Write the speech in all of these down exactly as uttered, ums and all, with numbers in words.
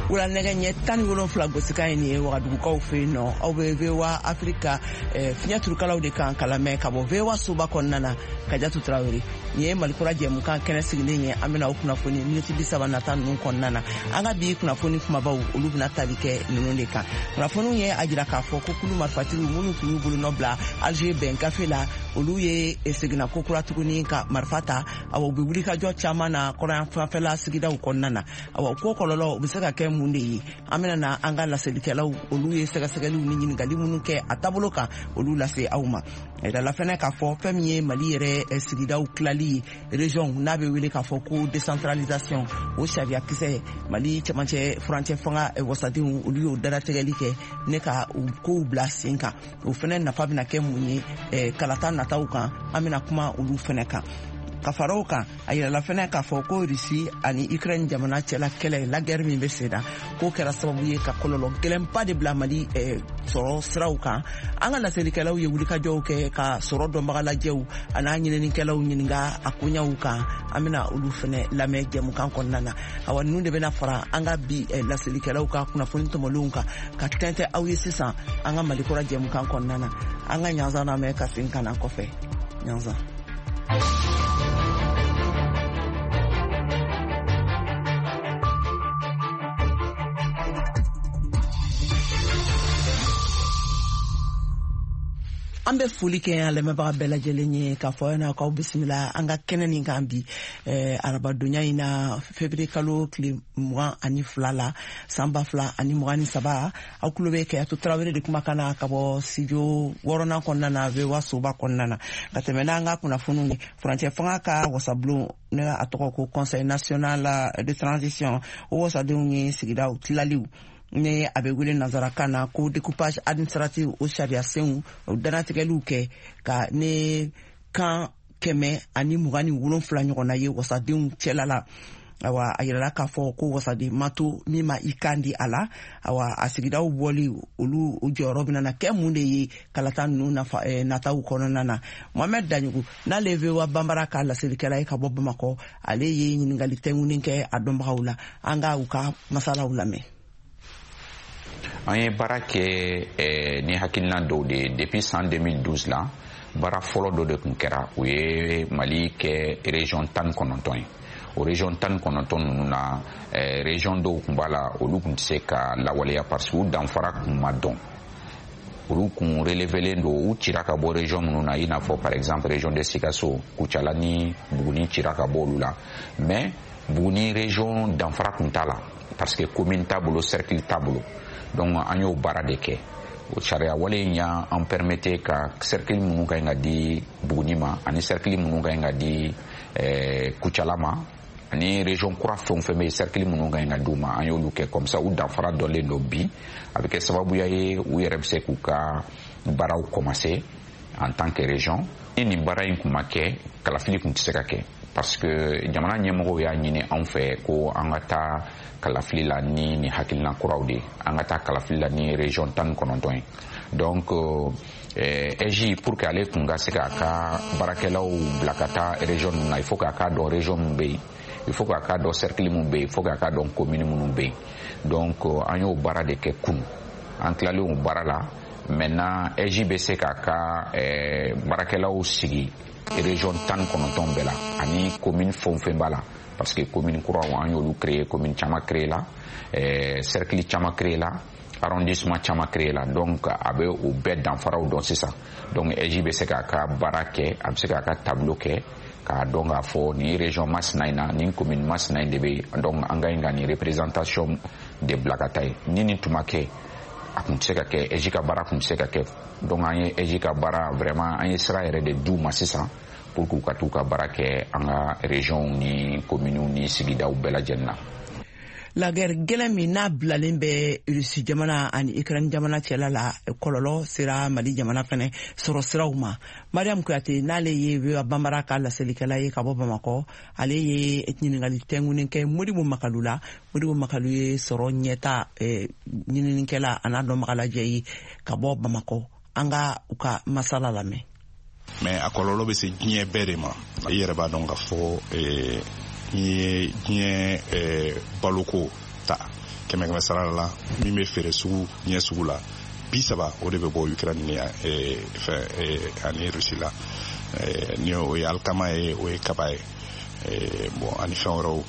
Wula nɛgɛ ɲɛ tan ni wolonfila gosikan ye nin ye Wagadugukaw fɛ yen nɔ. Aw bɛ V O A Afrika fiɲɛ turukalaw de kan kalamɛ ka bɔ V O A soba kɔnɔna na. Kajatu Tarawele nin ye Malikura jɛmukan kɛnɛ sigilen ye. An bɛna aw kunnafoni miniti bi saba nata ninnu kɔnɔna na. An ka bi kunnafoni kumabaw, olu bɛna tali kɛ ninnu de kan. Kunnafoniw ye a jira k'a fɔ ko kulu marifatigiw minnu tun y'u bolonɔ bila Alger bɛn gafe la, olu ye seginna ko kura tuguni ka marifa ta. Awa, u bɛ wulikajɔ caman na kɔrɔyan fanfɛla sigidaw kɔnɔna na. Awa, ko kɔlɔlɔ u bɛ se ka kɛ mun de ye? An bɛna na an ka laselikɛlaw, olu ye sɛgɛsɛgɛliw ni ɲininkali minnu kɛ a taabolo kan, olu lase aw ma. Yirala fɛnɛ k'a fɔ fɛn min ye Mali yɛrɛ sigidaw tilali ye, région, n'a bɛ wele k'a fɔ ko décentralisation, o sariya kisɛ, Mali cɛmancɛ furancɛ fanga wasadenw, olu y'o dalatigɛli kɛ ne ka u kow bila sen kan. O fɛnɛ nafa bɛna kɛ mun ye kalata nataw kan? An bɛna kuma olu fɛnɛ kan. Ka fara o kan, a yirala fɛnɛ k'a fɔ ko Rusi ani Ukraine jamana cɛla kɛlɛ, la guerre min bɛ sen na, k'o kɛra sababu ye ka kɔlɔlɔ gɛlɛnba de bila Mali sɔrɔ siraw kan. An ka laselikɛlaw ye wulikajɔw kɛ ka sɔrɔ dɔnbagalajɛw an'a ɲininikɛlaw ɲininka a koɲaw kan. An bɛna olu fɛnɛ lamɛn jɛmukan kɔnɔna na. Awa, ninnu de bɛna fara an ka bi laselikɛlaw ka kunnafoni tɔmɔlenw kan ka tɛntɛ aw ye sisan an ka Malikura jɛmukan kɔnɔna na. An ka ɲanzan lamɛn ka segin ka na kɔfɛ ɲanzan. An bɛ foli kɛ an lamɛnbaga bɛɛ lajɛlen ye k'a fɔ aw ɲɛna k'aw bisimila an ka kɛnɛ nin kan bi arabadonya in na, février kalo tile mugan ani fila la, san ba fila ani mugan ni saba. Aw tulo bɛ Kajatu Tarawele de kumakan na ka bɔ studio wɔɔrɔnan kɔnɔna na, V O A soba kɔnɔna na. Ka tɛmɛ n'an ka kunnafoniw ye, furancɛ fanga ka wasabulon, ne a tɔgɔ ko Conseil national de transition, o wasadenw ye sigidaw tilaliw, ni a bɛ wele nanzarakan na ko découpage administratif, o sariya senw, o dannatigɛliw kɛ ka ne kan kɛmɛ ani mugan ni wolonfila ɲɔgɔnna ye wasadenw cɛla la. Awa, a yirala k'a fɔ ko wasaden ma to min ma i kan di a la. Awa, a sigidaw bɔli, olu o jɔyɔrɔ bɛna na kɛ mun de ye kalata ninnu nafa nataw kɔnɔna na? Mohamɛd Daɲogo, n'ale ye V O A Banbara ka laselikɛla ye ka bɔ Bamakɔ, ale ye ɲininkali tɛnkunin kɛ a dɔnbagaw la. An ka u ka masalaw lamɛn. An ye baara kɛ eh, ni hakilina dɔw de ye depuis san deux mille douze la. Baara fɔlɔ dɔ de tun kɛra, o ye Mali kɛ région tan kɔnɔntɔn ye. O région tan kɔnɔntɔn ninnu na, eh, région dɔw tun b'a la, olu tun tɛ se ka lawaleya parce que u danfara tun ma dɔn. Olu kun relevelen don, u cira ka bɔ région minnu na, i n'a fɔ par exemple région de Sikaso, Kucala ni Buguni cira ka bɔ olu la. Mais Buguni région danfara tun t'a la parce que commune t'a bolo, cercle t'a bolo. Donc an y'o baara de kɛ. O sariya wale in y'an permettre ka cercle minnu ka ɲi ka di Buguni ma ani cercle minnu ka ɲi ka di eh, Kucala ma ani région kura fɛn o fɛn bɛ yen, cercle minnu ka ɲi ka di u ma, an y'olu kɛ. Comme ça u danfara dɔnlen don bi, a bɛ kɛ sababuya ye u yɛrɛ bɛ se k'u ka baaraw commencer en tant que région. Ni nin baara in kun ma kɛ, kalafili kun tɛ se ka kɛ parce que jamana ɲɛmɔgɔw y'a ɲini anw fɛ ko an ka taa kalafili la ni nin hakilina kuraw de ye, an ka taa kalafili la ni région tan ni kɔnɔntɔn ye. Donc eh, A I J, pour que ale kun ka se k'a ka baarakɛlaw bila ka taa région ninnu na, il faut k'a k'a dɔn région min bɛ yen, il faut k'a k'a dɔn cercle min bɛ yen, il faut k'a k'a dɔn commune minnu bɛ yen. Donc an y'o baara de kɛ kunun. An tilalen o baara la, maintenant A I J bɛ se k'a ka eh, baarakɛlaw sigi région tan ni kɔnɔntɔn bɛɛ la ani commune fɛn o fɛn b'a la, parce que commune kuraw, an y'olu créer, commune caman créer la, eh, cercle caman créer la, arrondissement caman créer la. Donc a bɛ o bɛɛ danfaraw dɔn sisan. Donc A I J bɛ se k'a ka baara kɛ, a bɛ se k'a ka tableau kɛ k'a dɔn k'a fɔ nin région masina in na, nin commune masina in de bɛ yen, donc an ka ɲi ka nin représentation de bila ka taa yen. Ni nin tun ma kɛ, a kun tɛ se ka kɛ, A I J ka baara kun tɛ se ka kɛ. Donc an ye A I J ka baara, vraiment an ye sira yɛrɛ de d'u ma sisan pour k'u ka t'u ka baara kɛ an ka région ni communes ni sigidaw bɛɛ lajɛlen na. La guerre gɛlɛn min n'a bilalen bɛ Rusi jamana ani Ukraine jamana cɛla la, kɔlɔlɔ sera Mali jamana fɛnɛ sɔrɔ siraw ma. Mariam Kuyate, n'ale ye V O A Banbara ka laselikɛla ye ka bɔ Bamakɔ, ale ye ɲininkali tɛnkunnen kɛ Modibo Makalu la. Modibo Makalu ye sɔrɔ ɲɛta ɲininikɛla a n'a dɔnbagalajɛ ye ka bɔ Bamakɔ. An ka u ka masala lamɛn. Mais a kɔlɔlɔ bɛ se diɲɛ bɛɛ de ma. I yɛrɛ b'a dɔn k'a fɔ n'i ye diɲɛ baloko ta Kɛmɛ kɛmɛ sara la, min bɛ feere sugu ɲɛ sugu la, bi saba o de bɛ bɔ Ukraine ni fɛn ani Russie la. Ni o ye alikama ye, o ye kaba ye, bon, ani fɛn wɛrɛw.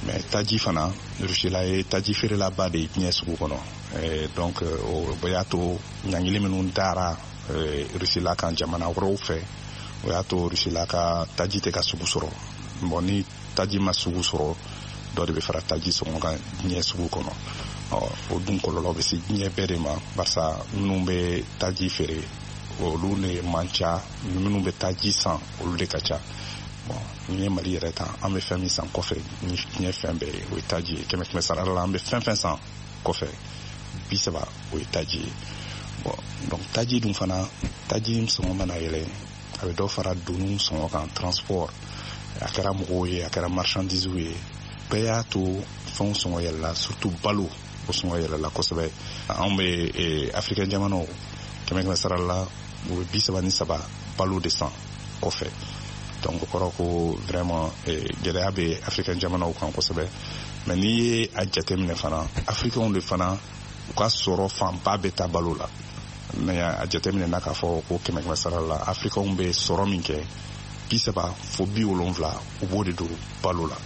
Mais taji fana, Russie la ye taji feerelaba de ye diɲɛ sugu kɔnɔ. Donc o y'a to ɲangili minnu dara Russie la kan jamana wɛrɛw fɛ, o y'a to Russie la ka taji tɛ ka sugu sɔrɔ. Bon, ni taji ma sugu sɔrɔ, dɔ de bɛ fara taji sɔngɔ kan diɲɛ sugu kɔnɔ. Ɔ, o dun kɔlɔlɔ bɛ se diɲɛ bɛɛ de ma, barisa minnu bɛ taji feere, olu de man ca, minnu bɛ taji san, olu de ka ca. Bon, n'i ye Mali yɛrɛ ta, an bɛ fɛn min san kɔfɛ ni diɲɛ fɛn bɛɛ ye, o ye taji ye. Kɛmɛ kɛmɛ sara la, an bɛ fɛn fɛn san kɔfɛ, bi saba o ye taji ye. Bon, donc taji dun fana, taji sɔngɔ mana yɛlɛ, a bɛ dɔ fara doniw sɔngɔ kan, transport, a kɛra mɔgɔw ye, a kɛra marchandise ye, bɛɛ y'a to fɛnw sɔngɔ yɛlɛla, surtout balo, o sɔngɔ yɛlɛla kosɛbɛ. Anw bɛ Africain jamanaw, kɛmɛ kɛmɛ sara la, u bɛ bi saba ni saba balo de san kɔfɛ. Donc o kɔrɔ ko vraiment gɛlɛya bɛ Africain jamanaw kan kosɛbɛ. Mais n'i ye a jateminɛ fana, Africainw de fana, u ka sɔrɔ fanba bɛ taa balo la. Mais a jateminɛ na k'a fɔ ko kɛmɛ kɛmɛ sara la, Africainw bɛ sɔrɔ min kɛ, bi saba fo bi wolonfila, u b'o de don balo la.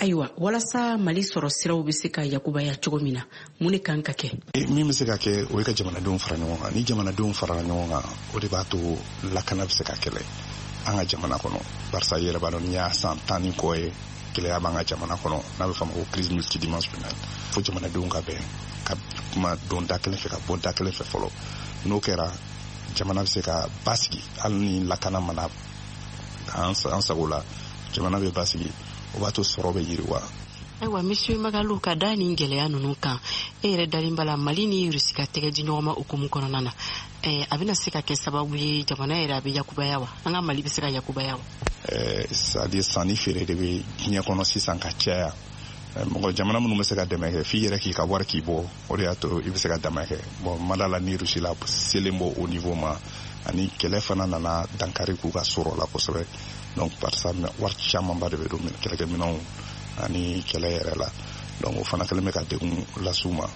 Ayiwa, walasa Mali sɔrɔ siraw bɛ se ka yakubaya cogo min na, mun de kan ka kɛ? Min bɛ se ka kɛ, o ye ka jamanadenw fara ɲɔgɔn kan. Ni jamanadenw farala ɲɔgɔn kan, o de b'a to lakana bɛ se ka kɛlɛ an ka jamana kɔnɔ, barisa i yɛrɛ b'a dɔn, n'i y'a san tan ni kɔ ye, gɛlɛya b'an ka jamana kɔnɔ, n'a bɛ f'a ma ko crise multidimensionnelle. Fo jamanadenw ka bɛn ka kuma don da kelen fɛ, ka bɔ da kelen fɛ fɔlɔ. N'o kɛra, jamana bɛ se ka basigi. Hali ni lakana mana an sago la, jamana bɛ basigi, o b'a to sɔrɔ bɛ yiriwa. Ayiwa, monsieur Magalu, ka da nin gɛlɛya ninnu kan, e yɛrɛ dalen b'a la Mali ni Rusi ka tɛgɛ di ɲɔgɔn ma hukumu kɔnɔna na, a bɛna se ka kɛ sababu ye jamana yɛrɛ a bɛ yakubaya wa? An ka Mali bɛ se ka yakubaya wa? C'est à dire sanni feere de bɛ diɲɛ kɔnɔ sisan ka caya. Mɔgɔ jamana minnu bɛ se ka dɛmɛ kɛ, f'i yɛrɛ k'i ka wari k'i bɔ, o de y'a to i bɛ se ka dɛmɛ kɛ. Bon, mada la ni Rusi la selen bɔ o niveau ma, ani kɛlɛ fana nana dankari k'u ka sɔrɔ la kosɛbɛ. Donc barisa wari camanba de bɛ don kɛlɛkɛminɛnw ani kɛlɛ yɛrɛ la. Donc o fana kɛlen bɛ ka degun las'u ma.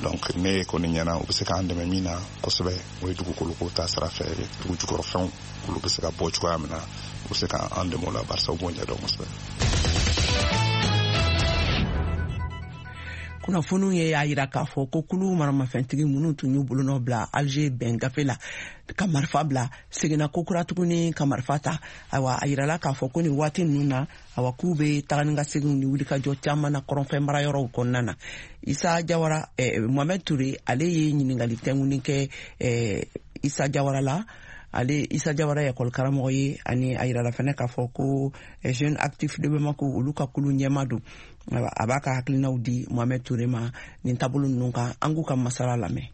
Donc ne kɔni ɲɛna, u bɛ se k'an dɛmɛ min na kosɛbɛ, o ye dugukoloko ta sira fɛ, dugu jukɔrɔfɛnw olu bɛ se ka bɔ cogoya min na, u bɛ se k'an dɛmɛ o la, barisa u b'o ɲɛdɔn kosɛbɛ. Kunnafoniw ye y'a yira k'a fɔ ko kulu maramafɛntigi minnu tun y'u bolonɔ bila Alger bɛn gafe la ka marifa bila, seginna ko kura tuguni ka marifa ta. Ayiwa, a yirala k'a fɔ ko nin waati ninnu na, awa, k'u bɛ taga ni ka seginw ni wulikajɔ caman na kɔrɔnfɛ marayɔrɔw kɔnɔna na. Isa Jawara, eh, Mohamed Touré, ale ye ɲininkali tɛnkuni kɛ eh, Isa Jawara la. Ale Isa Jawara ye ekɔli karamɔgɔ ye, ani a yirala fɛnɛ k'a fɔ ko Jeune Actif de Bamako, olu ka kulu ɲɛma don. A b'a ka hakilinaw di Mohamed Touré ma nin taabolo ninnu kan. An k'u ka masala lamɛn.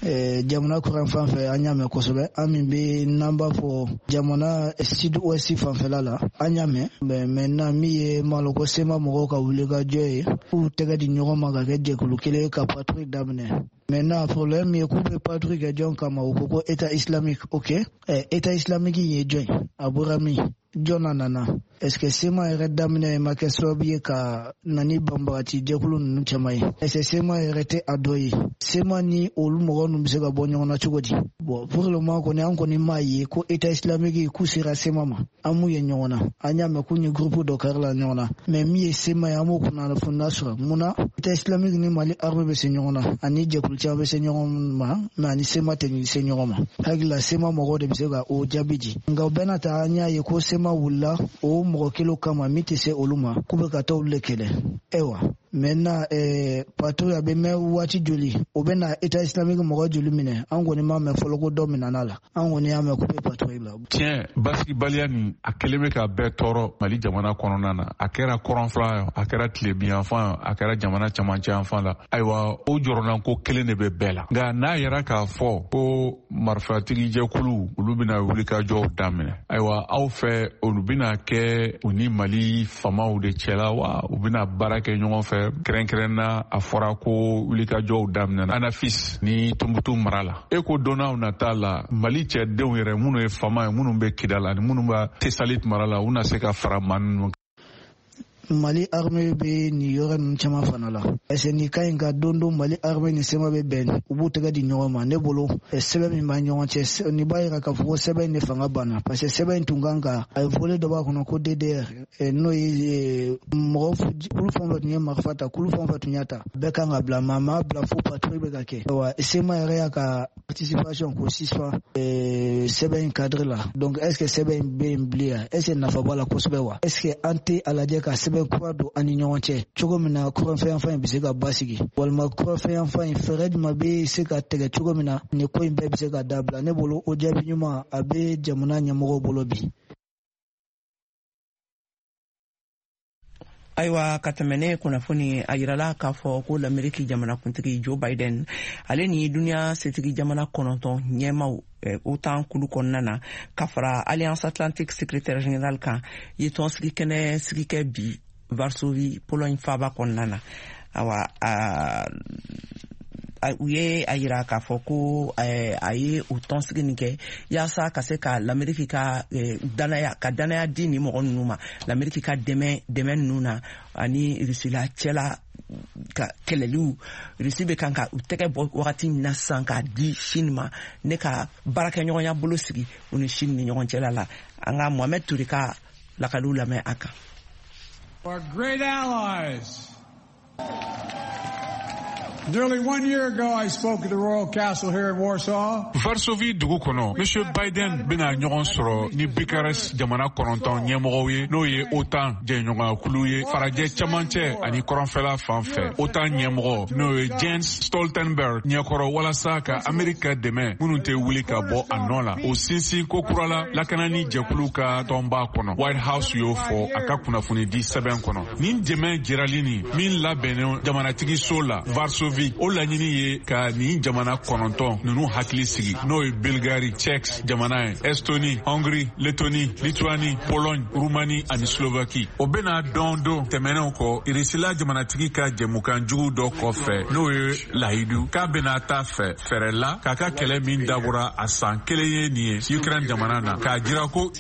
Jamana kɔrɔn fan fɛ, an y'a mɛn kosɛbɛ. An min bɛ n'an b'a fɔ jamana sud ouest fanfɛla la, an y'a mɛn. Mais maintenant, min ye maloko sema mɔgɔw ka wulikajɔ ye, k'u tɛgɛ di ɲɔgɔn ma ka kɛ jɛkulu kelen ka patrouille daminɛ. Maintenant, problème min ye, k'u bɛ patrouille kɛ jɔn kama? U ko ko État islamique. Ok, État islamique in ye jɔn ye? A bɔra min? Jɔn na nana? Est ce que sema yɛrɛ daminɛ ma kɛ sababu ye ka na ni banbagati jɛkulu ninnu caman ye? Est ce que sema yɛrɛ tɛ a dɔ ye? Sema ni olu mɔgɔ ninnu bɛ se ka bɔ ɲɔgɔn na cogo di? Bon, pour le moment kɔni, an kɔni m'a ye ko État islamique k'u sera sema ma. An m'u ye ɲɔgɔn na. An y'a mɛn k'u ni groupe dɔ karila ɲɔgɔn na, mais min ye sema ye, an m'o kunnafoniya sɔrɔ. Mun na État islamique ni Mali armée bɛ se ɲɔgɔn na, ani jɛkulu caman bɛ se ɲɔgɔn ma, mais ani sema tɛ se ɲɔgɔn ma? Hakili la, sema mɔgɔw de bɛ se ka o jaabi di. Nka o bɛɛ n'a ta, an y'a ye ko sema wulila o mɔgɔ kelen kama min tɛ se olu ma, k'u bɛ ka taa olu de kɛlɛ. Ayiwa, maintenant, eh, patrouille a bɛ mɛn waati joli? O bɛ na État islamique mɔgɔ joli minɛ? An kɔni m'a mɛn fɔlɔ ko dɔ minɛna la. An kɔni y'a mɛn k'u bɛ patrouille la. Tiɲɛ, basigibaliya nin, a kɛlen bɛ ka bɛɛ tɔɔrɔ Mali jamana kɔnɔna na. A kɛra kɔrɔnfɛla ye, a kɛra tilebinyanfan ye, a kɛra jamana camancɛ yanfan la. Ayiwa, o jɔrɔnanko kelen de bɛ bɛɛ la. Nka n'a yɛrɛ k'a fɔ ko marifatigijɛkulu olu bɛna wulikajɔw daminɛ, ayiwa, aw fɛ, olu bɛna kɛ u ni Mali famaw de cɛla wa, u bɛna baara kɛ ɲɔgɔn fɛ? Kɛrɛnkɛrɛn na, a fɔra ko wulikajɔw daminɛna Anafis ni Tumutu mara la. E ko donnaw nata la, Mali cɛdenw yɛrɛ minnu ye fama ye, minnu bɛ Kidal ani minnu bɛ Tesalit mara la, u na se ka fara maa ninnu? Mali armée bɛ nin yɔrɔ ninnu caman fana la. Est-ce que nin ka ɲi ka don don Mali armée ni C M A bɛ bɛn, u b'u tɛgɛ di ɲɔgɔn ma? Ne bolo, sɛbɛn min b'a ɲɔgɔn cɛ, nin b'a yira k'a fɔ ko sɛbɛn in de fanga banna, parce que sɛbɛn in tun kan ka a ye volet dɔ b'a kɔnɔ ko D D R, n'o ye mɔgɔ kulu fɛn o fɛn tun ye marifa ta, kulu fɛn o fɛn tun y'a ta, bɛɛ kan ka bila, maa maa bila fo patrouille bɛ ka kɛ. Wa C M A yɛrɛ y'a ka participation k'o suspend sɛbɛn in cadre la. Donc est-ce que sɛbɛn in bɛ yen bilen? Est-ce que nafa b'a la kosɛbɛ wa? Est-ce que an tɛ a lajɛ ka sɛbɛn kura don an ni ɲɔgɔn cɛ cogo min na kɔrɔnfɛyanfan in bɛ se ka basigi, walima kɔrɔnfɛyanfan in fɛɛrɛ jumɛn bɛ se ka tigɛ cogo min na nin ko in bɛɛ bɛ se ka dabila? Ne bolo, o jaabi ɲuman a bɛ jamana ɲɛmɔgɔw bolo bi. Ayiwa, ka tɛmɛ ne kunnafoni, a yirala k'a fɔ ko l'Ameriki jamanakuntigi Joe Biden, ale ni duniya setigi jamana kɔnɔntɔn ɲɛmaw OTAN kulu kɔnɔna na, ka fara Alliance Atlantique secrétaire général kan, ye tɔnsigi kɛnɛ sigi kɛ bi Varsovie, Pologne faaba kɔnɔna na. Awa, u ye a yira k'a fɔ ko a ye o tɔnsigi nin kɛ yaasa ka se ka l'Ameriki ka danaya ka danaya di nin mɔgɔ ninnu ma, l'Ameriki ka dɛmɛ dɛmɛ ninnu na ani Rusila cɛla ka kɛlɛliw. Rusi bɛ kan ka u tɛgɛ bɔ wagati min na sisan k'a di Chine ma, ne ka baarakɛɲɔgɔnya bolo sigi u ni Chine ni ɲɔgɔn cɛla la. An ka Mohamed Toure ka lakaliw lamɛn a kan. Our great allies. Nearly one year ago, I spoke at the Royal Castle here in Warsaw. Varsovie dugu kɔnɔ, Monsieur Biden bɛna ɲɔgɔn sɔrɔ ni Bucharest jamana kɔnɔntɔn ɲɛmɔgɔw ye, n'o ye OTAN jɛɲɔgɔnyakulu ye farajɛ camancɛ ani kɔrɔnfɛla fan fɛ. OTAN ɲɛmɔgɔ, n'o ye Jens Stoltenberg ɲɛkɔrɔ, walasa ka Amerika dɛmɛ minnu tɛ wuli ka bɔ a nɔ la, o sinsin ko kura la lakanani jɛkulu ka tɔnba kɔnɔ. White House y'o fɔ a ka kunnafonidi sɛbɛn kɔnɔ. Nin dɛmɛ jirali nin min labɛnnen jamanatigi so la Varsovie, o laɲini ye ka nin jamana kɔnɔntɔn ninnu hakili sigi, n'o ye Bulgarie, Tchèque jamana ye, Estonie, Hongrie, Lettonie, Lituanie, Pologne, Roumanie ani Slovaquie. O bɛna dɔn don tɛmɛnenw kɔ Irisila jamanatigi ka jɛmukan jugu dɔ kɔfɛ, n'o ye lahidu k'a bɛna taa fɛ fɛɛrɛ la k'a ka kɛlɛ min dabɔra a san kelen ye nin ye Ukraine jamana na, k'a jira ko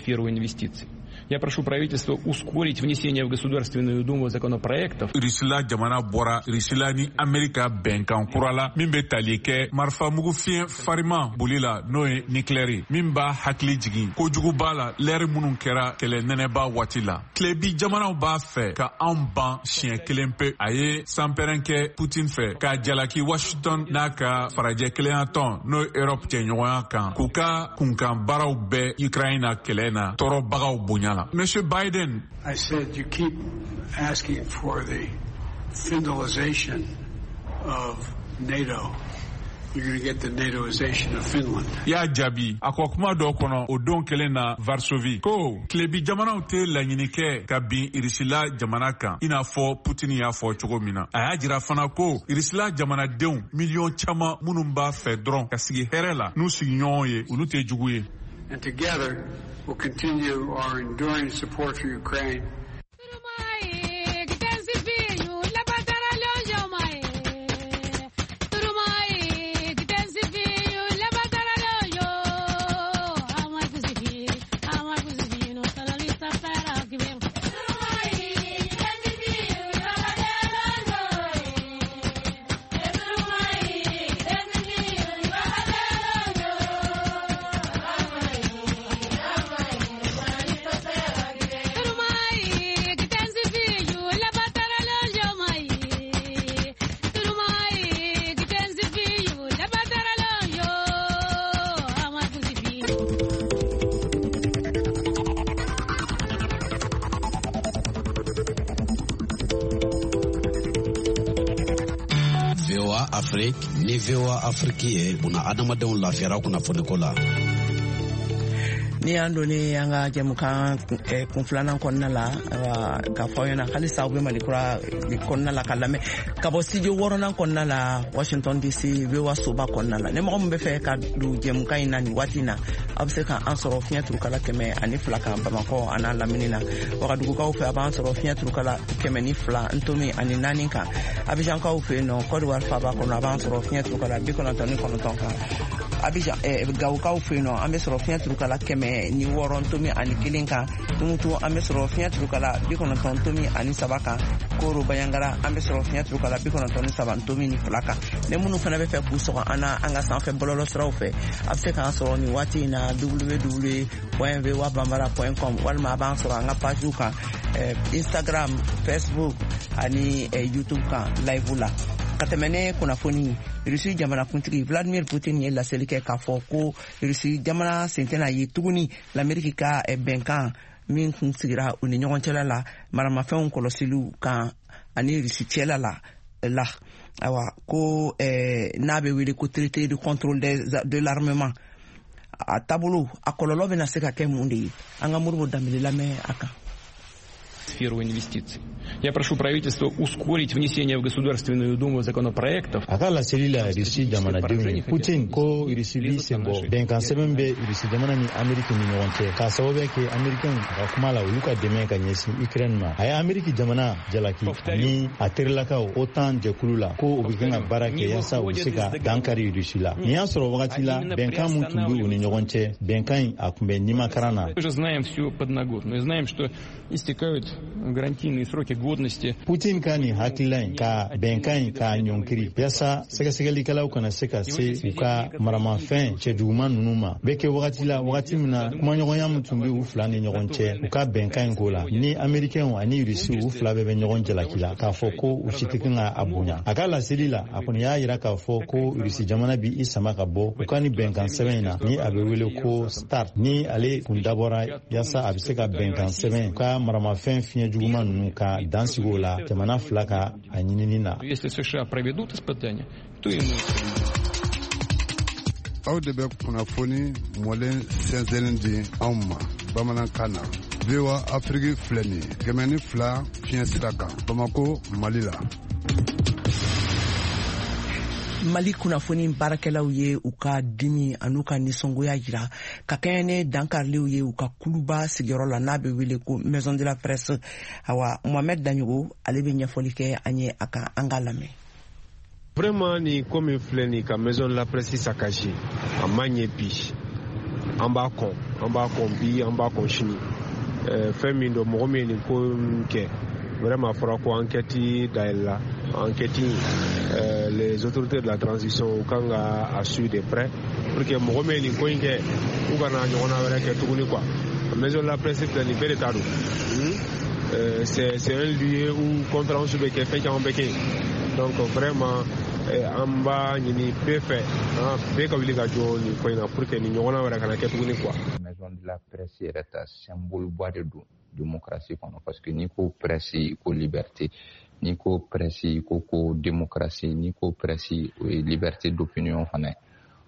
Я прошу правительство ускорить внесение в Государственную Думу законопроектов. Rusila jamana bɔra Rusila ni Amerika bɛnkan kura la min bɛ tali kɛ marifamugu fiɲɛ fariman boli la, n'o ye nucléaire, min b'a hakili jigin kojuguba la lɛri minnu kɛra kɛlɛ nɛnɛba waati la. Tilebi jamanaw b'a fɛ ka anw ban siɲɛ kelen pe. A ye sanpɛrɛn kɛ Putin fɛ k'a jalaki Washington n'a ka farajɛ kelenya tɔn, n'o ye Europe cɛɲɔgɔnya kan, k'u ka kunkan baaraw bɛɛ Ukraine na kɛlɛ na tɔɔrɔbagaw bonya. Monsieur Biden. I said, you keep asking for the Finlandization of NATO. You're going to get the NATOization of Finland. Y'a jaabi a ko kuma dɔ kɔnɔ o don kelen na Varsovie ko tilebi jamanaw tɛ laɲini kɛ ka bin Irisila jamana kan, i n'a fɔ Putin y'a fɔ cogo min na. A y'a jira fana ko Irisila jamanadenw miliyɔn caman minnu b'a fɛ dɔrɔn ka sigi hɛrɛ la n'u sigiɲɔgɔnw ye, olu tɛ jugu ye. And together, we'll continue our enduring support for Ukraine. Afrique ni V O A Afrique ye buna adamadenw lafiyara kunnafoniko la. Ni y'an donnen an ka jɛmukan kun filanan kɔnɔna la, k'a fɔ aw ɲɛna halisa aw bɛ Malikura kɔnɔna la ka lamɛn ka bɔ studio wɔɔrɔnan kɔnɔna la Washington D C V O A soba kɔnɔna la. Ni mɔgɔ min bɛ fɛ ka don jɛmukan in na nin waati in na, aw bɛ se ka an sɔrɔ fiɲɛ turukala kɛmɛ ani fila kan Bamakɔ a n'a lamini na. Wagadugukaw fɛ a b'an sɔrɔ fiɲɛ turukala kɛmɛ ni fila ntomi ani naani kan. Abijankaw fɛ yen nɔ, Côte d'Ivoire faaba kɔnɔ, a b'an sɔrɔ fiɲɛ turukala bi kɔnɔntɔn ni kɔnɔntɔn kan. Abidjan eh, Gawokaw fɛ yen nɔ, an bɛ sɔrɔ fiɲɛ turukala kɛmɛ ni wɔɔrɔ tomi ani kelen kan. Tumutu, an bɛ sɔrɔ fiɲɛ turukala bi kɔnɔntɔn tomi ani saba kan. Koro Bayangara, an bɛ sɔrɔ fiɲɛ turukala bi kɔnɔntɔn ni saba tomi ni fila kan. Ni minnu fana bɛ fɛ k'u sɔgɔ an na an ka sanfɛ bɔlɔlɔ siraw fɛ, a bɛ se k'an sɔrɔ nin waati in na w w w point voa bambara point com, walima a b'an sɔrɔ an ka pagew kan, eh, Instagram, Facebook ani eh, YouTube kan live la. Ka tɛmɛ ne kunnafoni, Rusi jamanakuntigi Vladimir Putin ye laseli kɛ k'a fɔ ko Rusi jamana sen tɛna ye tuguni Lameriki ka eh, bɛnkan min kun sigira u ni ɲɔgɔn cɛla la maramafɛnw kɔlɔsiliw kan ani Rusi cɛla la la Ayiwa, ko eh, n'a bɛ wele ko traité de contrôle de l'armement, a taabolo, a kɔlɔlɔ bɛna se ka kɛ mun de ye? An ka Moribo Danbele lamɛn a kan. Сферу инвестиций. Я прошу правительство ускорить внесение в Государственную Думу законопроектов. A ka laseli la Irisi jamanadenw ye, Putin ko Irisi b'i sen bɔ bɛnkan sɛbɛn bɛ Irisi jamana ni Ameriki ni ɲɔgɔn cɛ, k'a sababuya kɛ Amerikɛnw a ka kuma la, olu ka dɛmɛ ka ɲɛsin Ukraine ma. A ye Ameriki jamana jalaki ani a terilakaw OTAN jɛkulu la ko u bɛ kan ka baara kɛ yaasa u bɛ se ka dankari Irisi la. Nin y'a sɔrɔ wagati la bɛnkan mun tun bɛ u ni ɲɔgɔn cɛ, bɛnkan in a tun bɛ nimakaran na. Мы же знаем всю подноготную, знаем, что истекают гарантийные сроки годности. Putin ka nin hakilila in ka bɛnkan in k'a ɲɔnkiri yaasa sɛgɛsɛgɛlikɛlaw kana se ka se u ka maramafɛn cɛjuguman ninnu ma, bɛ kɛ wagati la, wagati min na kumaɲɔgɔnya min tun bɛ u fila ni ɲɔgɔn cɛ u ka bɛnkan in ko la ni Amerikɛnw ani Rusiw, u fila bɛɛ bɛ ɲɔgɔn jalaki la k'a fɔ ko u si tɛ kan ka a bonya. A ka laseli la, a kɔni y'a yira k'a fɔ ko Rusi jamana bi i sama ka bɔ u ka ni bɛnkan sɛbɛn in na ni a bɛ wele ko START, ni ale kun dabɔra yaasa a bɛ se ka bɛnkan sɛbɛn u ka maramafɛn fiɲɛ juguman ninnu ka dan sigi o la jamana fila ka a ɲinini na. Если США проведут испытания, то и мы. Aw de bɛ kunnafoni mɔlen sɛnsɛnnin di anw ma bamanankan na. V O A Afiriki filɛ nin ye, kɛmɛ ni fila fiɲɛ sira kan, Bamako, Mali la. Mali kunnafoni baarakɛlaw ye u ka dimi an'u ka nisɔngoya jira ka kɛɲɛ ni dankariliw ye u ka kuluba sigiyɔrɔ la n'a bɛ wele ko Maison de la Presse. Awa, Mohamed Daɲogo, ale bɛ ɲɛfɔli kɛ an ye a kan, an k'a lamɛn. Vraiment, nin ko min filɛ nin ka Maison de la Presse saccagé, a ma ɲɛ bi. An b'a kɔn, an b'a kɔn bi, an b'a kɔn sini. Fɛn min don, mɔgɔ min ye nin ko kɛ, vraiment, a fɔra ko enquête dayɛlɛla. Enquête, euh, les autorités de la transition u kan ka a suivre de près pour que mɔgɔ min ye nin ko in kɛ, u kana ɲɔgɔnna wɛrɛ kɛ tuguni quoi. Maison de la Presse filɛ nin, bɛɛ de ta don. euh, c'est c'est un lieu où conférence bɛ kɛ, fɛn caman bɛ kɛ yen. Donc vraiment, an b'a ɲini bɛɛ fɛ, bɛɛ ka wuli ka jɔ nin ko in na pour que nin ɲɔgɔnna wɛrɛ kana kɛ tuguni quoi. Maison de la Presse yɛrɛ ta, symbole ba de don démocratie kɔnɔ, parce que n'i ko presse, i ko liberté, n'i ko presse, i ko ko démocratie, n'i ko presse, o ye liberté d'opinion fana ye.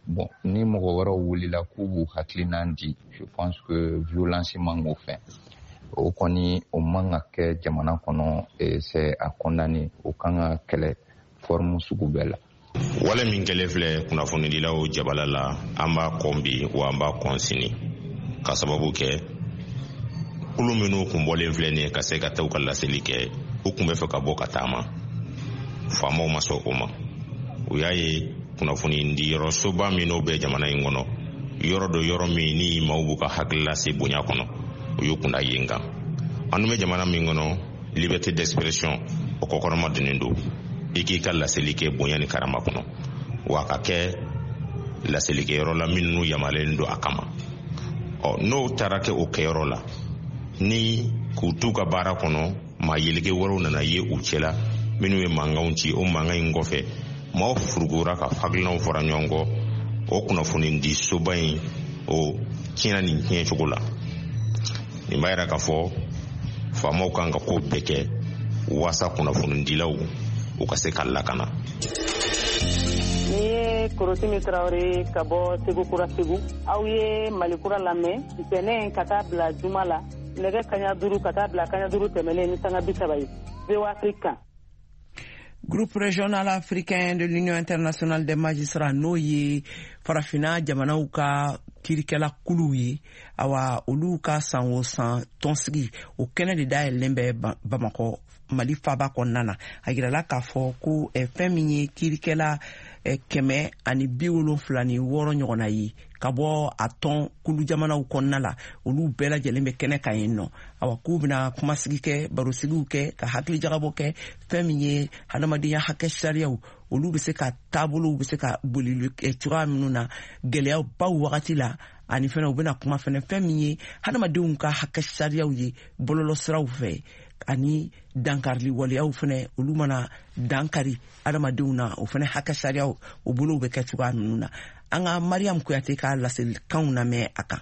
Bon, ni mɔgɔ wɛrɛw wulila k'u b'u hakilinan di, je pense que violence man k'o fɛ. O kɔni, o man ka kɛ jamana kɔnɔ, c'est à condamner, o kan ka kɛlɛ forme sugu bɛɛ la. Wale min kɛlen filɛ kunnafonidilaw jabala la, an b'a kɔn bi, wa an b'a kɔn sini, ka sababu kɛ kulu minnu kun bɔlen filɛ nin ye ka se ka taa u ka laseli kɛ, u kun bɛ fɛ ka bɔ ka taama, faamaw ma sɔn o ma. U y'a ye kunnafoni di yɔrɔ soba minnu bɛ jamana in kɔnɔ, yɔrɔ dɔ, yɔrɔ min ni maaw b'u ka hakilila se bonya kɔnɔ, u y'u kunda yen kan. An dun bɛ jamana min kɔnɔ, liberté d'expression o kɔkɔrɔma donnen don, i k'i ka laseli kɛ bonya ni karama kɔnɔ, wa ka kɛ laselikɛyɔrɔ la minnu yamaruyalen don a kama. Ɔ, n'o taara kɛ o kɛyɔrɔ la ni k'u t'u ka baara kɔnɔ, maa yeleke wɛrɛw nana ye u cɛla minnu ye mankanw ci. O mankan in kɔfɛ, maaw furukura ka hakilinaw fɔra ɲɔgɔn kɔ. O kunnafoni di soba in, o tiɲɛna nin tiɲɛ cogo la. Nin b'a yira k'a fɔ faamaw kan ka ko bɛɛ kɛ waasa kunnafonidilaw u ka se ka lakana. Ni ye Korotimi Tarawele ka bɔ Segu Kura, Segu. Aw ye Mali Kura lamɛn ntɛnɛn ka taa bila juma la, nɛgɛ kaɲa duuru ka taa bila kaɲa duuru tɛmɛnen ni sanga bi saba ye, V O A Afrique kan. Groupe régional africain de l'Union internationale des magistrats, n'o ye Farafina jamanaw ka kirikɛla kuluw ye, awa, olu ka san o san tɔnsigi, o kɛnɛ de dayɛlɛlen bɛ Bamakɔ, Mali faba kɔnɔna na. A yirala k'a fɔ ko eh, fɛn min ye kirikɛla kɛmɛ ani bi wolonfila ni wɔɔrɔ ɲɔgɔnna ye ka bɔ a tɔn kulu jamanaw kɔnɔna la, olu bɛɛ lajɛlen bɛ kɛnɛ kan yen nɔ. Awa, k'u bɛna kumasigi kɛ, barosigiw kɛ, ka hakilijagabɔ kɛ fɛn min ye hadamadenya hakɛ sariyaw, olu bɛ se ka taabolow bɛ se ka boli cogoya minnu na gɛlɛyabaw wagati la, ani fɛnɛ u bɛna kuma fɛnɛ fɛn min ye hadamadenw ka hakɛ sariyaw ye bɔlɔlɔsiraw fɛ, ani dankarili waleyaw fɛnɛ, olu mana dankari hadamadenw na, o fɛnɛ hakɛ sariyaw o bolow bɛ kɛ cogoya minnu na. An ka Mariam Kuyate ka laselikanw lamɛn a kan.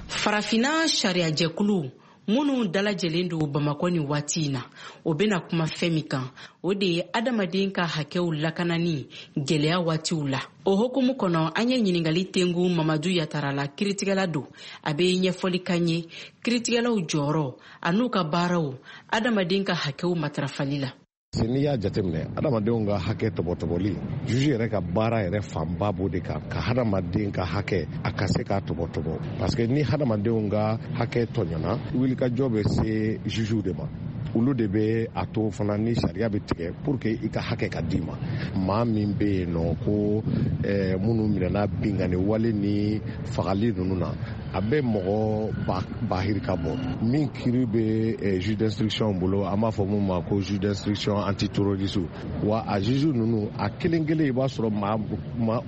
Farafinna sariyajɛkulu minnu dalajɛlen don Bamakɔ nin waati in na, o bɛna kuma fɛn min kan, o de ye adamaden ka hakɛw lakanani gɛlɛya waatiw la. O hukumu kɔnɔ, an ye ɲininkali tengu Mamadu Yatara la, kiritigɛla don. A bɛ ɲɛfɔli k'an ye kiritigɛlaw jɔyɔrɔ an'u ka baaraw adamaden ka hakɛw matarafali la. N'i y'a jateminɛ, adamadenw ka hakɛ tɔbɔtɔbɔli, juge yɛrɛ ka baara yɛrɛ fanba b'o de kan, ka hadamaden ka hakɛ a ka se k'a tɔbɔtɔbɔ, parce que ni hadamadenw ka hakɛ tɔɲɔna, wulikajɔ bɛ se jugew de ma. Olu de bɛ a to fana ni sariya bɛ tigɛ pour que i ka hakɛ ka d'i ma. Maa min bɛ yen nɔ ko eh, minnu minɛna binkanni wale ni fagali ninnu na, a bɛ mɔgɔ bahirika bɔ. Min kiiri bɛ eh, juge d'instruction bolo, an b'a fɔ mun ma ko juge d'instruction antiterroriste. Wa a juge ninnu a kelen kelen, i b'a sɔrɔ maa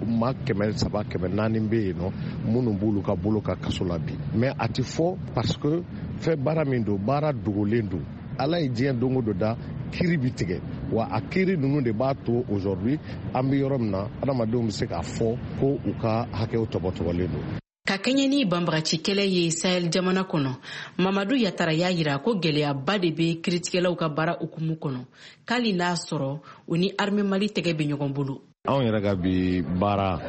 maa kɛmɛ saba kɛmɛ naani bɛ yen nɔ minnu b'olu ka bolo ka kaso la bi. Mais a ti fɔ parce que fɛn baara min don, baara dogolen don. Ala ye diɲɛ don o don da, kiiri bi tigɛ, wa a kiiri ninnu de b'a to aujourd'hui an bɛ yɔrɔ min na, adamadenw bɛ se k'a fɔ ko u ka hakɛw tɔbɔtɔbɔlen don. Ka kɛɲɛ ni banbagaci kɛlɛ ye Sahel jamana kɔnɔ, Mamadu Yatara y'a yira ko gɛlɛyaba de bɛ kiritigɛlaw ka baara hukumu kɔnɔ, k'ali n'a sɔrɔ u ni armée Mali tɛgɛ bɛ ɲɔgɔn bolo. Anw yɛrɛ ka bi baara,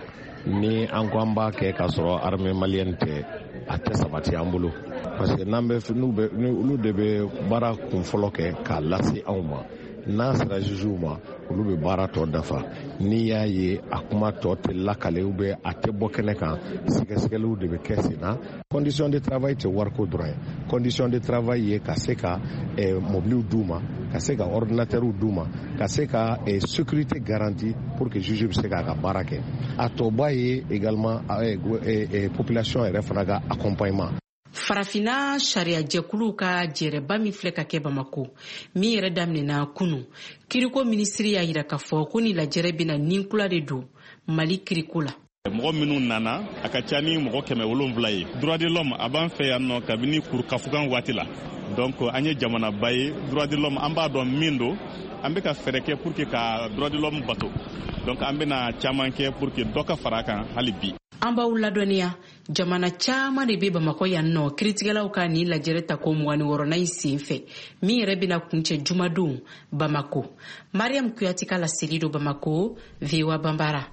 ni an ko an b'a kɛ k'a sɔrɔ armée malienne tɛ, a tɛ sabati an bolo, parce que n'an bɛ n'u bɛ olu de bɛ baara kun fɔlɔ kɛ k'a lase anw ma. N'a sera jugew ma, olu bɛ baara tɔ dafa. N'i y'a ye a kuma tɔ tɛ lakale ou bien a tɛ bɔ kɛnɛ kan, sɛgɛsɛgɛliw de bɛ kɛ sen na. Condition de travail tɛ wariko dɔrɔn ye. Condition de travail ye ka se ka eh, mobiliw d'u ma, ka se ka ordinateurw d'u ma, ka se ka eh, sécurité garantie pour que juge bɛ se k'a ka baara kɛ. A tɔba ye également eh, eh, population yɛrɛ fana ka accompagnement. Farafinna sariyajɛkuluw ka jɛrɛba min filɛ ka kɛ Bamako, min yɛrɛ daminɛna kunu, kiriko minisiri y'a yira k'a fɔ ko ni lajɛrɛ bɛna ninkula de don Mali kiriko la. Mɔgɔ minnu nana, a ka ca ni mɔgɔ kɛmɛ wolonfila ye. Droit de l'homme a b'an fɛ yan nɔ kabini kurukafugan waati la. Donc an ye jamanaba ye, droit de l'homme an b'a dɔn min don, an bɛ ka fɛɛrɛ kɛ pour que ka droit de l'homme bato. Donc an bɛna caman kɛ pour que dɔ ka fara a kan hali bi. An b'aw ladɔnniya, jamana caman de bɛ Bamakɔ yan nɔ kiritigɛlaw ka nin lajɛrɛ tako mugan ni wɔɔrɔnan in sen fɛ, min yɛrɛ bɛna kuncɛ jumadon Bamako. Mariam Kuyate ka laseli don Bamako, V O A Banbara.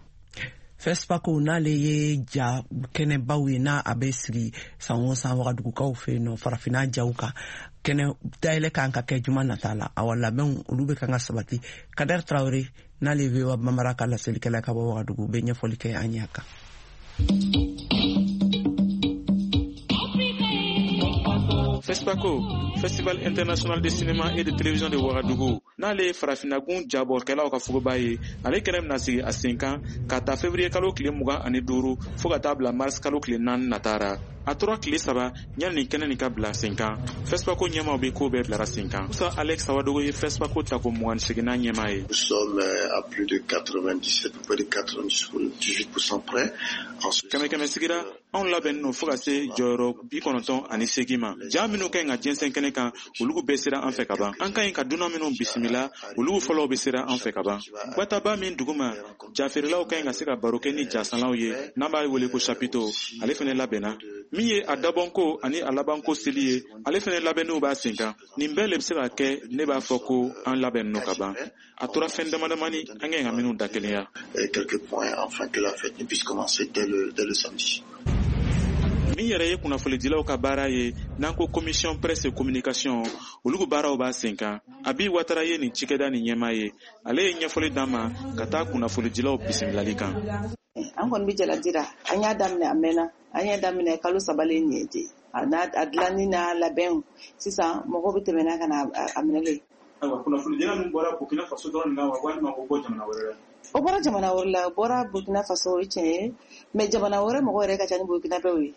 FESPACO n'ale ye ja kɛnɛbaw ye, n'a a bɛ sigi san o san Wagadugukaw fɛ yen nɔ, farafinna jaw kan, kɛnɛ dayɛlɛ kan ka kɛ juma nata la. Awa, labɛnw olu bɛ kan ka sabati. Kader Traoré n'ale ye V O A Banbara ka laselikɛla ka bɔ Wagadugu bɛ ɲɛfɔli kɛ an ye a kan. FESPACO, Festival international de cinéma et de télévision de Ouagadougou, n'ale ye farafinnagun jabɔkɛlaw ka fogoba ye, ale kɛnɛ bɛna sigi a sen kan ka ta février kalo tile mugan ani duuru fo ka taa bila mars kalo tile naani natara. A tora tile saba yanni nin kɛnɛ nin ka bila sen kan. FESPACO ɲɛmaaw bɛ ko bɛɛ bilara sen kan. Musa Alex Sawadogo ye FESPACO tako mugan ni seginnan ɲɛmaa ye. Nous sommes à plus de quatre-vingt-dix-sept, près de quatre-vingt-dix-huit pour cent près. Kɛmɛ kɛmɛ sigira, anw labɛnnen don fo ka se jɔyɔrɔ bi kɔnɔntɔn ani seegin ma. Ja minnu ka ɲi ka jɛnsɛn kɛnɛ kan, olu bɛɛ sera an fɛ ka ban. An ka ɲi ka dunan minnu bisimila, olu fɔlɔw bɛ sera an fɛ ka ban. Gwataba min duguma, jafeerelaw ka ɲi ka se ka baro kɛ ni jasanlaw ye, n'an b'a wele ko chapiteau, ale fɛnɛ labɛnna. Min ye a dabɔnko ani a labanko seli ye, ale fɛnɛ labɛnniw b'a sen kan. Nin bɛɛ le bɛ se ka kɛ, ne b'a fɔ ko an labɛnnen don ka ban. A tora fɛn dama damani an ka ɲi ka minnu dakelenya. Min yɛrɛ ye kunnafonidilaw ka baara ye, n'an ko commission presse et communication, olu ka baaraw b'a sen kan. Abi Watara ye nin cikɛda nin ɲɛmaa ye, ale ye ɲɛfɔli d'an ma ka taa kunnafonidilaw bisimilali kan. An kɔni bɛ jaladi la, an y'a daminɛ a mɛnna, an y'a daminɛ kalo saba le nin ye ten. A n'a a dilanni n'a labɛnw, sisan mɔgɔw bɛ tɛmɛ n'a ka na a minɛlen. Ayiwa, kunnafonidila ninnu bɔra Burkina Faso dɔrɔn de la wa, walima o bɔ jamana wɛrɛ la? O bɔra jamana wɛrɛ la, o bɔra Burkina Faso, o ye tiɲɛ ye, mais jamana wɛrɛ mɔgɔ yɛrɛ ka ca ni Burkinabɛw ye.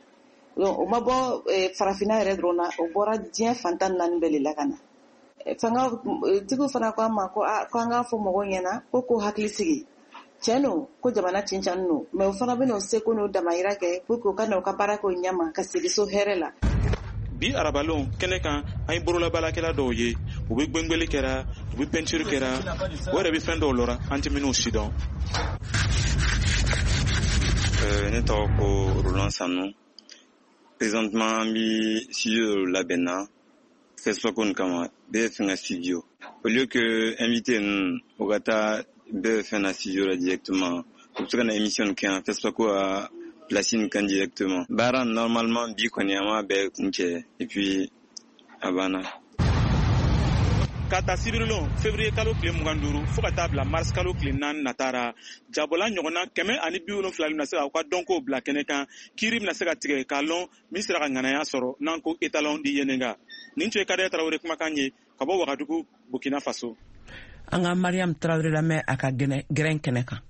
Donc o ma bɔ farafinna yɛrɛ dɔrɔn na, o bɔra diɲɛ fan tan ni naani bɛɛ de la ka na. Fanga tigiw fana ko an ma ko a ko an k'a fɔ mɔgɔw ɲɛna ko k'o hakili sigi. Tiɲɛ don ko jamana cincani don, mais o fana bɛna o seko n'o damayira kɛ pour que u ka na u ka baara kɛ o ɲɛma ka segin so hɛrɛ la. Bi arabalon kɛnɛ kan, an ye bololabaarakɛla dɔw ye, u bɛ gwengweli kɛra, u bɛ peinture kɛra, o yɛrɛ bɛ fɛn dɔw lɔra an tɛ minnu si dɔn. Ne tɔgɔ ko Roland Sanu. Présentement an bi studio dɔ labɛn na FESPACO nin kama, bɛɛ bɛ fɛn ka studio. Au lieu que invité ninnu u ka taa bɛɛ bɛ fɛn na studio la directement, u bɛ se ka na émission nin kɛ yan FESPACO a place nin kan directement. Baara normalement bi kɔni an b'a bɛɛ kuncɛ et puis a banna. Ka ta sibirilon février kalo tile mugan duuru fo ka taa bila mars kalo tile naani natara, jabola ɲɔgɔnna kɛmɛ ani bi wolonfila bɛna se k'aw ka dɔnkow bila kɛnɛ kan. Kiiri bɛna se ka tigɛ k'a lɔn min sera ka ŋanaya sɔrɔ n'an ko étalon di Yenenga. Nin tun ye Kadaya Tarawele kumakan ye ka bɔ Wagadugu, Burkina Faso. An ka Mariam Tarawele lamɛn a ka gɛrɛn kɛnɛ kan.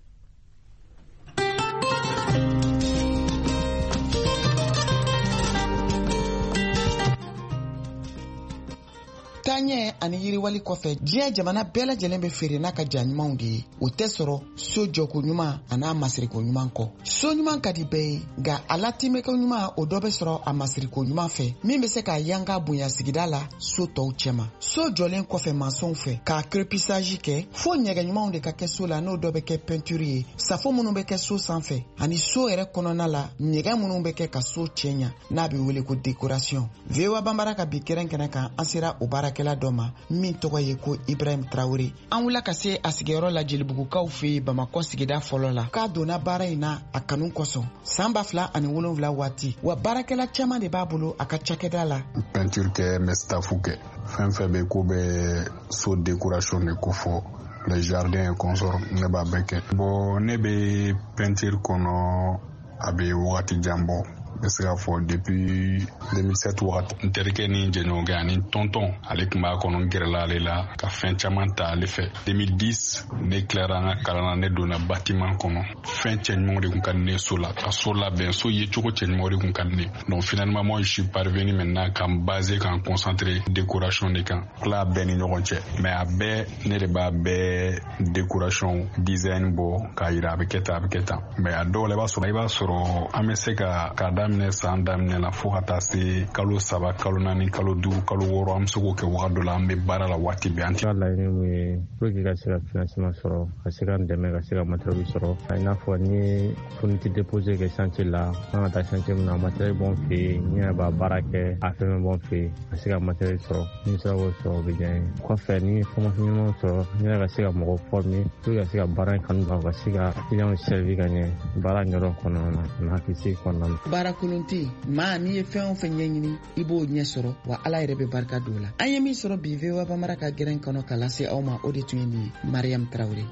Taaɲɛ ani yiriwali kɔfɛ, diɲɛ jamana bɛɛ lajɛlen bɛ feere n'a ka ja ɲumanw de ye. O tɛ sɔrɔ so jɔko ɲuman an'a masiriko ɲuman kɔ. So ɲuman ka di bɛɛ ye, nka a latimɛko ɲuman o dɔ bɛ sɔrɔ a masiriko ɲuman fɛ, min bɛ se k'a yanga bonya sigida la so tɔw cɛma. So jɔlen kɔfɛ masɔnw fɛ k'a crépissage kɛ, fo ɲɛgɛn ɲumanw de ka kɛ so la, n'o dɔ bɛ kɛ peinture ye, safo minnu bɛ kɛ so sanfɛ ani so yɛrɛ kɔnɔna la ɲɛgɛn minnu bɛ kɛ ka so cɛɲa n'a bɛ wele ko décoration. V O A Banbara ka bi kɛrɛn kɛnɛ kan, an sera o baara kɛla dɔ ma min tɔgɔ ye ko Ibrahim Traoré. An wulila ka se a sigiyɔrɔ la Jelibugukaw fɛ yen Bamakɔ sigida fɔlɔ la. K'a donna baara in na a kanu kosɔn san ba fila ani wolonwula waati, wa baarakɛla caman de b'a bolo a ka cakɛda la. Peinture kɛ, n bɛ staff kɛ, fɛn fɛn bɛ ko bɛ so décoration de ko fɔ, les jardins et consorts, ne b'a bɛɛ kɛ. Bon, ne bɛ peinture kɔnɔ a bɛ wagati jan bɔ. N bɛ se k'a fɔ depuis deux mille sept wagati, n terikɛ ni jɛɲɔgɔnkɛ ani tɔntɔn ale tun b'a kɔnɔ, n gɛrɛla ale la ka fɛn caman ta ale fɛ. deux mille dix ne tilara an ka kalan na, ne donna bâtiment kɔnɔ. Fɛn cɛɲumanw de tun ka di ne so la, ka so labɛn, so yecogo cɛɲumanw de tun ka di ne. Donc finalement moi je suis parvenu maintenant ka n baser, ka n concentrer décoration de kan. Tila bɛɛ ni ɲɔgɔn cɛ, mais a bɛɛ ne de b'a bɛɛ décoration design bɔ k'a yira a bɛ kɛ tan, a bɛ kɛ tan. Mais a dɔw la i b'a sɔrɔ i b'a sɔrɔ an bɛ se ka k'a daminɛ san daminɛ la fo ka taa se kalo saba, kalo naani, kalo duuru, kalo wɔɔrɔ, an bɛ se k'o kɛ wagati dɔ la, an bɛ baara la waati bɛɛ. An tɛ laɲini mun ye pour que ka se ka financement sɔrɔ, ka se ka n dɛmɛ, ka se ka matériel sɔrɔ. I n'a fɔ ni ye fourniture déposé kɛ chantier la, an ka taa chantier min na, matériel b'an fɛ yen, n yɛrɛ b'a baara kɛ, a fɛn bɛɛ b'an fɛ yen, ka se ka matériel sɔrɔ. Ni n sera k'o sɔrɔ, o bɛ diya n ye. Kɔfɛ ni formation ɲuman sɔrɔ, n yɛrɛ ka se ka mɔgɔw former pour que ka se ka baara in kanu ban, ka se ka clients servir ka ɲɛ baara ɲɛdɔn kɔnɔna na, ani hakilisigi kɔnɔna na. Baara kolon tɛ yen, maa n'i ye fɛn o fɛn ɲɛɲini i b'o ɲɛ sɔrɔ, wa Ala yɛrɛ bɛ barika don o la. An ye min sɔrɔ bi V O A Banbara ka gɛrɛn kɔnɔ ka lase aw ma, o de tun ye nin ye. Mariam Traoré.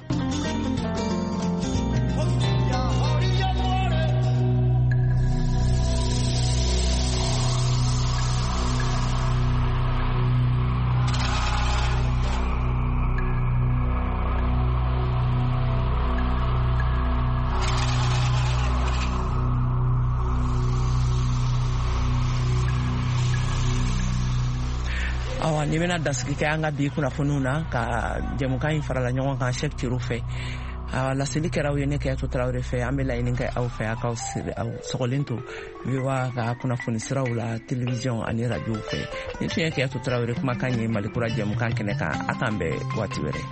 Awa, ni bɛna dasigi kɛ an ka bi kunnafoniw na ka jɛmukan in farala ɲɔgɔn kan Cheikh Ciro fɛ. A laseli kɛra aw ye ne Kɛyatu Tarawele fɛ. An bɛ laɲini kɛ aw fɛ a k'aw sɔgɔlen to V O A ka kunnafoni siraw la télévision ani radio fɛ. Nin tun ye Kɛyatu Tarawele kumakan ye Mali kura jɛmukan kɛnɛ kan. A k'an bɛn waati wɛrɛ.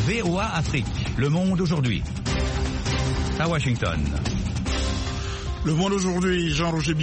V O A Afrique, Le Monde aujourd'hui, à Washington. Le Monde aujourd'hui, Jean-Roger Billon.